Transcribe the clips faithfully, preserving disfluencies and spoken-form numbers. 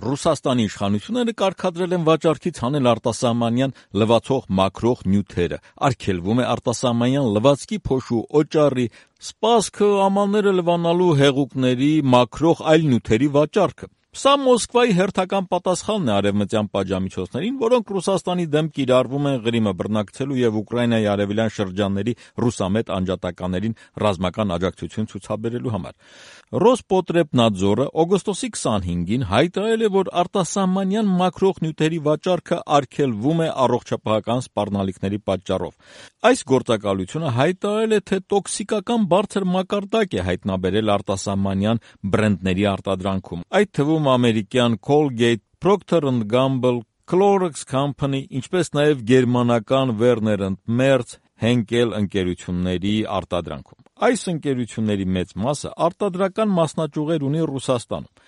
Ռուսաստանի իշխանությունները կարգադրել են վաճառքից հանել արտասահմանյան լվացող մաքրող նյութերը, արգելվում է արտասահմանյան լվացքի, փոշու, օճառի, սպասքը, ամանները լվանալու հեղուկների, մաքրող այլ նյութերի վաճառքը։ Սա Մոսկվայի հերթական պատասխանն է արևմտյան պատժամիջոցներին, որոնք Ռուսաստանի դեմ կիրառվում են Ղրիմը բռնակցելու եւ Ուկրաինայի արևելյան շրջանների ռուսամետ անջատականներին ռազմական աջակցություն ցուցաբերելու համար։ Ռոսպոտրեբնadzorը օգոստոսի քսանհինգին հայտարարել է, որ արտասահմանյան մաքրող նյութերի վաճառքը արգելվում է առողջապահական սպառնալիքների պատճառով։ Այս գործակալությունը հայտարարել է, թե տոքսիկական բարձր մակարդակ է հայտնաբերել արտասահմանյան բրենդների արտադրանքում, այդ թվում ամերիկյան Colgate, Procter and Gamble, Clorox Company, ինչպես նաև գերմանական Werner and Merz, Henkel ընկերությունների արտադրանքում։ Այս ընկերությունների մեծ մասը արտադրական մասնաճյուղեր ունի Ռուսաստանում։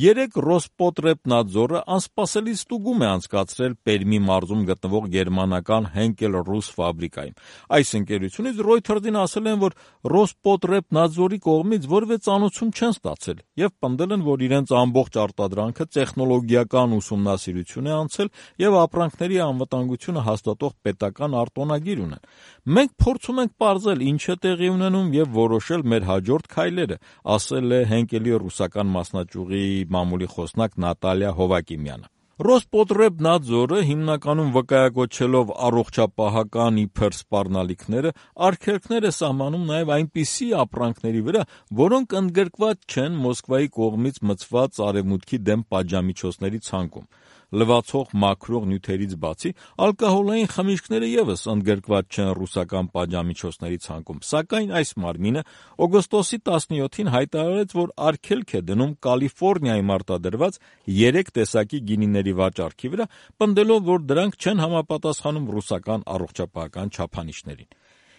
Երեկ Ռոսպոտրեբնadzorը անսպասելի ստուգում է անցկացրել Պերմի մարզում գտնվող գերմանական Henkel ռուս ֆաբրիկայում։ Այս ընկերությունից Reuters-ին ասել են, որ Ռոսպոտրեբնadzorի կողմից որևէ ծանուցում չեն ստացել եւ պնդել են, որ իրենց ամբողջ արտադրանքը տեխնոլոգիական ուսումնասիրություն է անցել եւ ապրանքների անվտանգությունը հաստատող պետական արտոնագիր ունեն։ Մենք փորձում ենք պարզել ինչ է տեղի ունենում եւ որոշել մեր հաջորդ քայլերը, ասել է Henkel-ի ռուսական մասնաճյուղի մամուլի խոսնակ Նատալիա Հովակիմյանը։ Ռոսպոտրեբնadzorը հիմնականում վկայակոչելով առողջապահական իբր սպառնալիքները, արգելքներ է սահմանում նաև այնպիսի ապրանքների վրա, որոնք ընդգրկված չեն Մոսկվայի կողմից մծված արևմուտքի դեմ պատժամիջոցների ցանկում։ Լվացող մաքրող նյութերից բացի, ալկոհոլային խմիչքները ևս ընդգրկված չեն ռուսական պատժամիջոցների ցանկում, սակայն այս մարմինը օգոստոսի տասնյոթին հայտարարեց, որ արգելք է դնում Կալիֆոռնիայում արտադրված երեք տեսակի գինիների վաճառքի վրա, պնդելով, որ դրանք չեն համապատասխանում ռուսական առողջապահական չափանիշներին։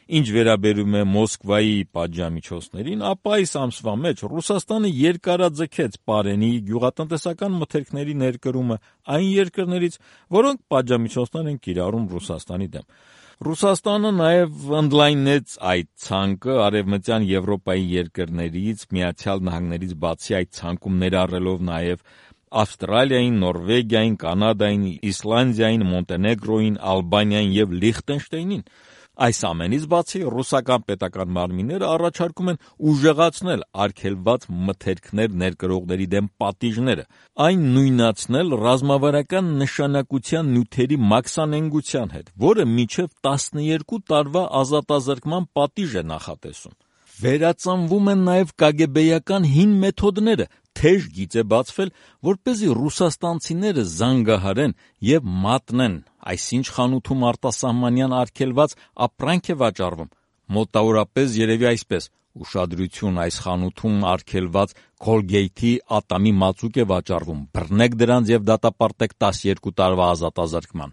Ինչ վերաբերում է Մոսկվայի պատժամիջոցներին, ապա այս ամսվա մեջ Ռուսաստանը երկարաձգեց Պարենի գյուղատնտեսական մթերքների ներկրումը այն երկրներից, որոնք պատժամիջոցներ են կիրառում Ռուսաստանի դեմ։ Ռուսաստանը նաև ընդլայնեց այդ ցանկը արևմտյան Եվրոպայի երկրներից, Միացյալ Նահանգներից բացի այդ ցանկում ներառելով նաև Ավստրալիային, Նորվեգիային, Կանադային, Իսլանդիային, Մոնտենեգրոյին, Ալբանիային եւ Լիխտենշտեյնին։ Այս ամենից բացի ռուսական պետական մարմինները առաջարկում են ուժեղացնել արգելված մթերքներ ներկրողների դեմ պատիժները, այն նույնացնել ռազմավարական նշանակության նյութերի մաքսանենգության հետ, որը մինչև տասներկու տարվա ազատազրկման պատիժ է նախատեսում։ Վերածնվում են նաև կագեբեյական հին մեթոդները, թեժ գիծ է բացվել, որպեսզի ռուսաստանցիները զանգահարեն եւ մատնեն, այսինչ խանութում արտասահմանյան արգելված ապրանք է վաճառվում։ Մոտավորապես երևի այսպես. ուշադրություն, այս խանութում արգելված Colgate-ի ատամի մածուկ է վաճառվում, բռնեք դրանց եւ դատապարտեք տասներկու տարվա ազատազրկման։